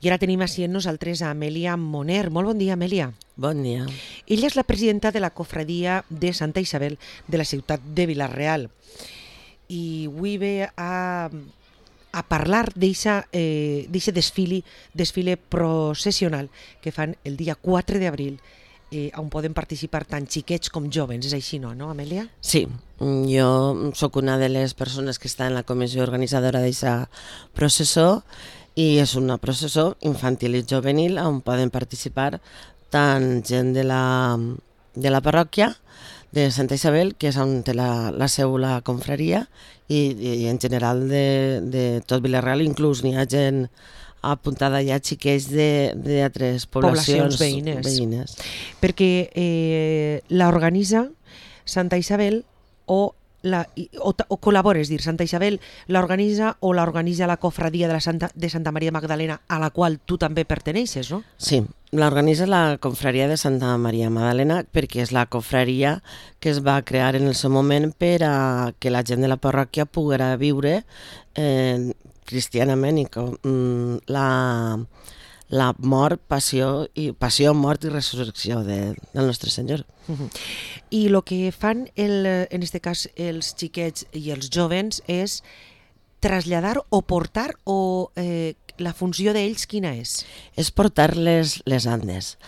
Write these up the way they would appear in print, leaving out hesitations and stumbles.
I ara tenim així amb nosaltres a Amèlia Moner. Molt bon dia, Amèlia. Bon dia. Ella és la presidenta de la cofradia de Santa Isabel de la ciutat de Vila-real. I avui ve a parlar d'aquest desfile processional que fan el dia 4 d'abril, on poden participar tant xiquets com joves. És així, no, Amèlia? Sí, jo sóc una de les persones que està en la comissió organitzadora d'aquesta processó i és una processó infantil i juvenil on poden participar tant gent de la parròquia de Santa Isabel, que és on té la seu la confraria, i en general de tot Vila-real, inclús n'hi ha gent apuntada ja, xiquets d'altres poblacions veïnes. Perquè l'organitza Santa Isabel o col·labora, és dir, Santa Isabel l'organitza o l'organitza la cofradia de Santa Maria Magdalena, a la qual tu també perteneixes, no? Sí, l'organitza la confraria de Santa Maria Magdalena perquè és la confraria que es va crear en el seu moment per a que la gent de la parròquia poguera viure cristianament i la mort, passió, mort i resurrecció del nostre Senyor. I el que fan, en aquest cas, els xiquets i els jovens és traslladar o portar, o la funció d'ells quina és? És portar les andes.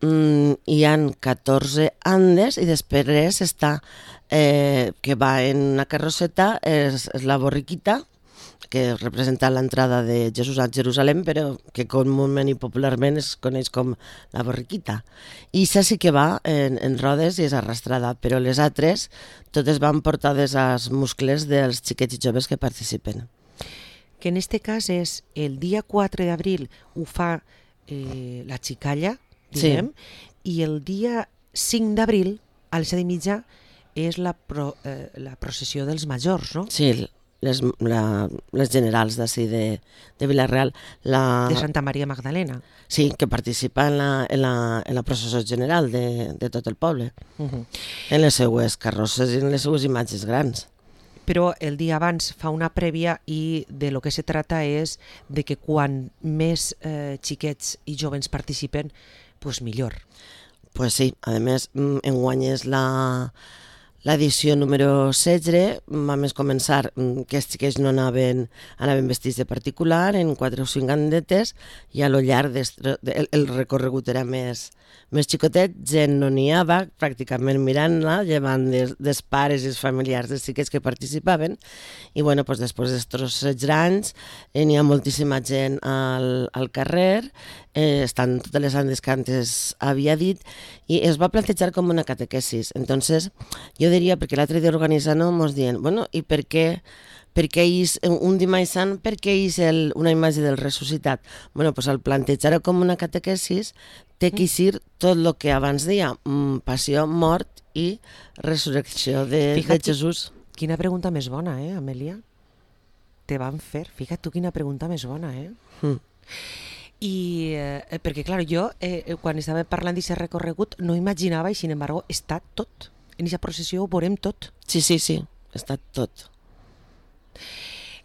Hi ha 14 andes i després està, que va en una carrosseta, és la borriquita, que representa l'entrada de Jesús a Jerusalem, però que comúment i popularment es coneix com la borriquita. I això sí que va en rodes i és arrastrada, però les altres totes van portades als muscles dels xiquets i joves que participen. Que en aquest cas és el dia 4 d'abril ho fa la xicalla, diguem, sí. I el dia 5 d'abril, a les 7:30, és la processió dels majors, no? Sí, les generals d'ací de Vila-real. De Santa Maria Magdalena. Sí, que participa en la processó general de tot el poble, en les seues carrosses i en les seues imatges grans. Però el dia abans fa una prèvia i de lo que se trata és de que quan més xiquets i joves participen, pues millor. Pues sí, a més, enguany és l'edició número 16, vam començar que els xiquets no anaven vestits de particular, en 4 o 5 andetes, i a lo llarg el recorregut era més xicotet, gent no n'hi havia, pràcticament mirant-la, llevant dels pares i els familiars dels xiquets que participaven, i bueno, pues, després d'estos 16 anys n'hi ha moltíssima gent al carrer, estan totes les andes que antes havia dit, i es va plantejar com una catequesis. Entonces, jo diria, perquè l'altre dia organitzant mos diuen, bueno, i per què un dimarts sant, per què és una imatge del ressuscitat? Bueno, pues al plantejar-ho com una catequesis té que ser tot el que abans deia, passió, mort i resurrecció de Jesús. Quina pregunta més bona, Amèlia? Te van fer, fica't tu quina pregunta més bona, I perquè, clar, jo quan estava parlant d'aquest recorregut no imaginava, i sin embargo està tot. En aquesta processió ho veurem tot. Sí, està tot.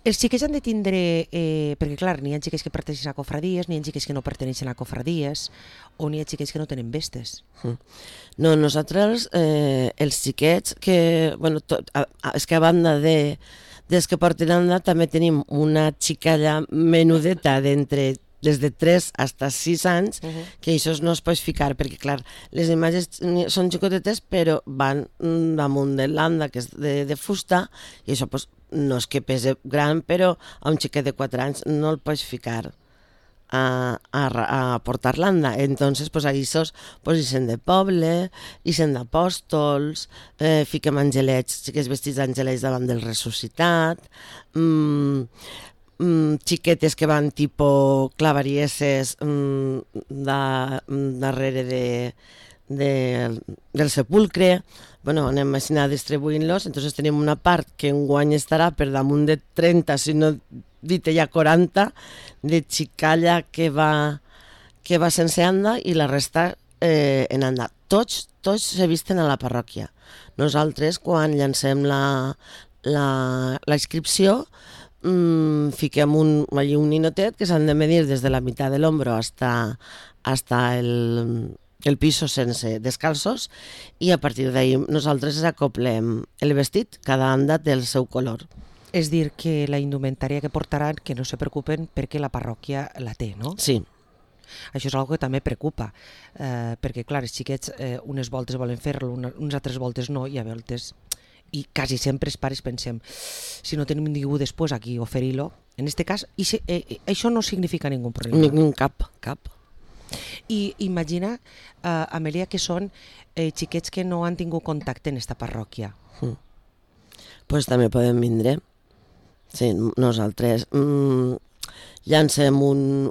Els xiquets han de tindre, perquè clar, n'hi ha xiquets que perteneixen a cofradies, n'hi ha xiquets que no perteneixen a cofradies, o n'hi ha xiquets que no tenen vestes. No, nosaltres, els xiquets, que, bueno, és que a banda dels que porten anda, també tenim una xicalla menudeta d'entre des de 3 a 6 anys, que això no es pot ficar, perquè clar, les imatges són xicotetes, però van damunt de l'anda, que és de fusta, i això pues, no és que pese gran, però a un xiquet de 4 anys no el pots ficar a portar l'anda. Entonces, pues, aquests pues, ixen de poble, ixen d'apòstols, fiquem angelets, xiquets vestits d'angelets davant del ressuscitat, xiquetes que van tipus clavarieses darrere del sepulcre. Bueno, anem així distribuint-los, entonces tenim una part que enguany estarà per damunt de 30, si no dit ja 40, de xicalla que va sense anda i la resta en anda. Tots se visten a la parròquia. Nosaltres, quan llancem la inscripció, fiquem allí un ninotet que s'han de medir des de la meitat de l'hombro hasta el piso sense descalços, i a partir d'ahí nosaltres acoplem el vestit, cada anda té el seu color. És dir, que la indumentària que portaran, que no se preocupen perquè la parròquia la té, no? Sí. Això és una cosa que també preocupa, perquè clar, els xiquets unes voltes volen fer-lo, unes altres voltes no, i a voltes, i quasi sempre els pares pensem, si no tenim ningú després aquí oferir-lo, en aquest cas, això no significa ningú problema. Cap. I imagina, Amèlia, que són xiquets que no han tingut contacte en esta parròquia. Pues també podem vindre. Sí, nosaltres llancem ens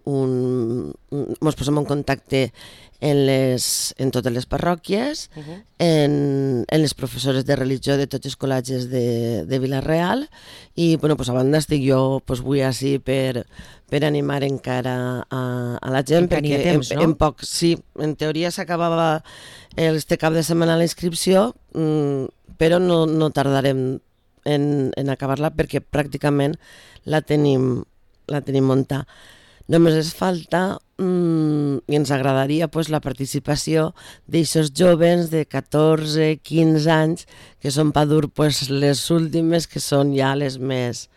posem en contacte en totes les parròquies, en les professores de religió de tots els col·legis de Vila-real, i bueno, pues a banda estic jo avui així per animar encara a la gent, perquè temps, no? en poc, sí, en teoria s'acabava este cap de setmana la inscripció, però no tardarem en acabar-la perquè pràcticament la tenim muntada. Només ens falta i ens agradaria la participació d'aixos joves de 14, 15 anys que són per dur les últimes, que són ja les més...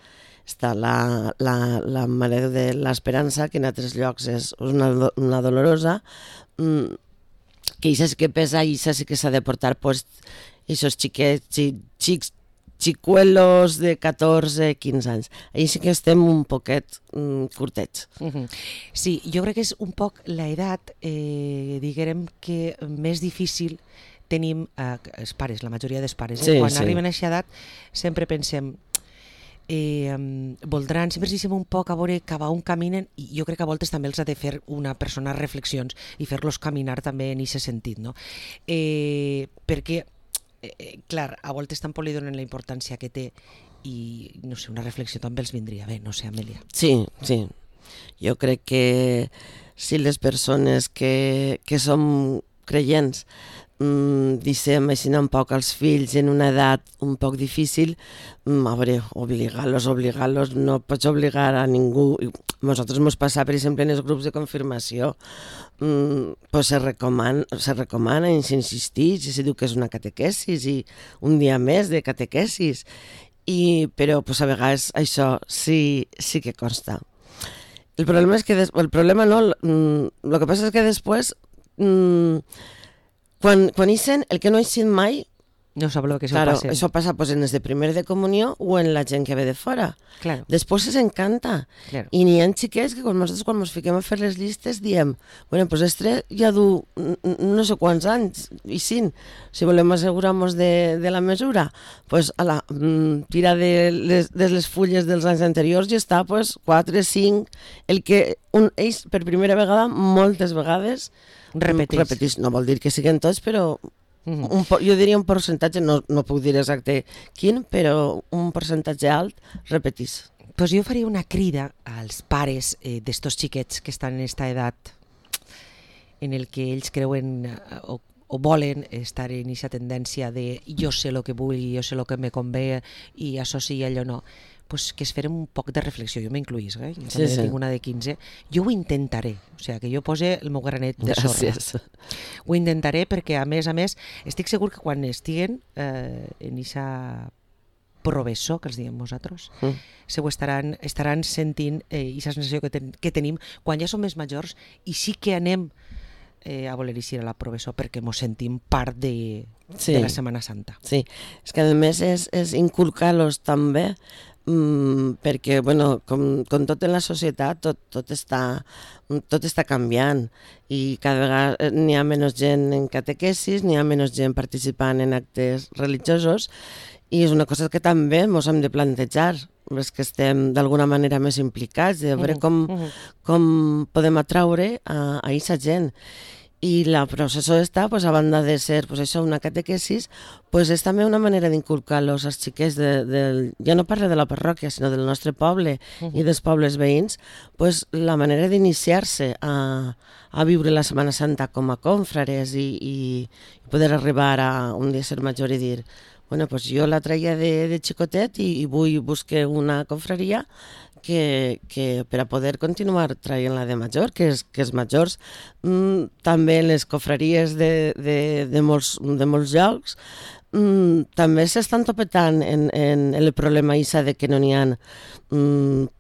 Està la Mare de l'Esperança, que en altres llocs és una dolorosa, que això sí que pesa i això sí que s'ha de portar aquests xics xicuelos de 14, 15 anys. Ahí sí que estem un poquet curtets. Sí, jo crec que és un poc l'edat, diguem que més difícil tenim els pares, la majoria dels pares. Quan arriben a aquesta edat sempre pensem voldran, sempre ens deixem un poc a veure cap a on caminen, i jo crec que a voltes també els ha de fer una persona reflexions i fer-los caminar també en aquest sentit, no? Perquè clar, a voltes tampoc li donen la importància que té, i no sé, una reflexió també els vindria bé, no sé, Amèlia. Sí. Jo crec que si les persones que som creients deixem així un poc als fills en una edat un poc difícil, a veure, obligar-los, no pots obligar a ningú. Nosaltres ens passa, per exemple, en els grups de confirmació, se recomana i s'insisteix, i se diu que és una catequesis i un dia més de catequesis, però a vegades això sí que consta. El problema és que el que passa és que després quan ixen, el que no ixen mai, no sap el que passa. Això passa en els de primer de comunió o en la gent que ve de fora. Claro. Després s'encanta. Claro. I n'hi ha xiquets que nosaltres quan ens fiquem a fer les llistes diem, bueno, pues este ja du no sé quants anys, i si volem assegurar-nos de la mesura, pues tira de les fulles dels anys anteriors i està 4, 5, el que ells per primera vegada, moltes vegades, repetís. No vol dir que siguin tots, però jo diria un percentatge, no puc dir exacte quin, però un percentatge alt repetís. Pues jo faria una crida als pares d'estos xiquets que estan en aquesta edat en el que ells creuen o volen estar en aquesta tendència de jo sé el que vull, jo sé el que me convé i això sí i allò no, pues que es farem un poc de reflexió. Jo m'incluís, jo també tinc una de 15. Jo ho intentaré, o sigui, que jo pose el meu granet de sorra. Ho intentaré perquè, a més, estic segur que quan estiguen en aquesta professor, que els diem nosaltres, ho estaran sentint aquesta sensació que tenim quan ja som més majors i sí que anem a voler eixir a la professor perquè ens sentim part de la Setmana Santa. Sí, és que a més és inculcar-los també, perquè bueno, com tot en la societat tot està canviant i cada vegada n'hi ha menys gent en catequesis, n'hi ha menys gent participant en actes religiosos, i és una cosa que també ens hem de plantejar, els que estem d'alguna manera més implicats, de veure com podem atraure a aquesta gent. I la processó està, a banda de ser una catequesis, és també una manera d'inculcar-los als xiquets, ja no parlo de la parròquia, sinó del nostre poble i dels pobles veïns, la manera d'iniciar-se a viure la Setmana Santa com a cònfrares i poder arribar a un dia ser major i dir, Bueno, pues jo la traia de xicotet i vull buscar una confraria que per a poder continuar traient-la de major, que els majors també les confraries de molts llocs també s'estan topetant en el problema isa de que no n'hi ha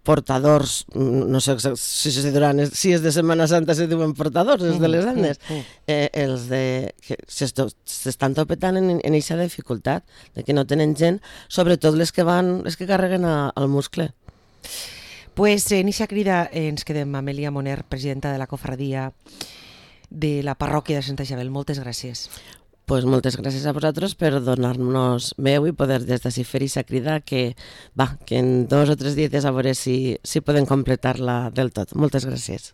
portadors, no sé si és de Setmana Santa se diuen portadors, els de les Andes, els que s'estan topetant en aquesta dificultat, de que no tenen gent, sobretot les que carreguen al muscle. Pues en eixa crida ens quedem amb Elia Moner, presidenta de la cofradia de la parròquia de Santa Isabel. Moltes gràcies. Pues moltes gràcies a vosaltres per donar-nos veu i poder des d'ací fer aquesta crida que en 2 o 3 dies a veure si podem completar-la del tot. Moltes gràcies.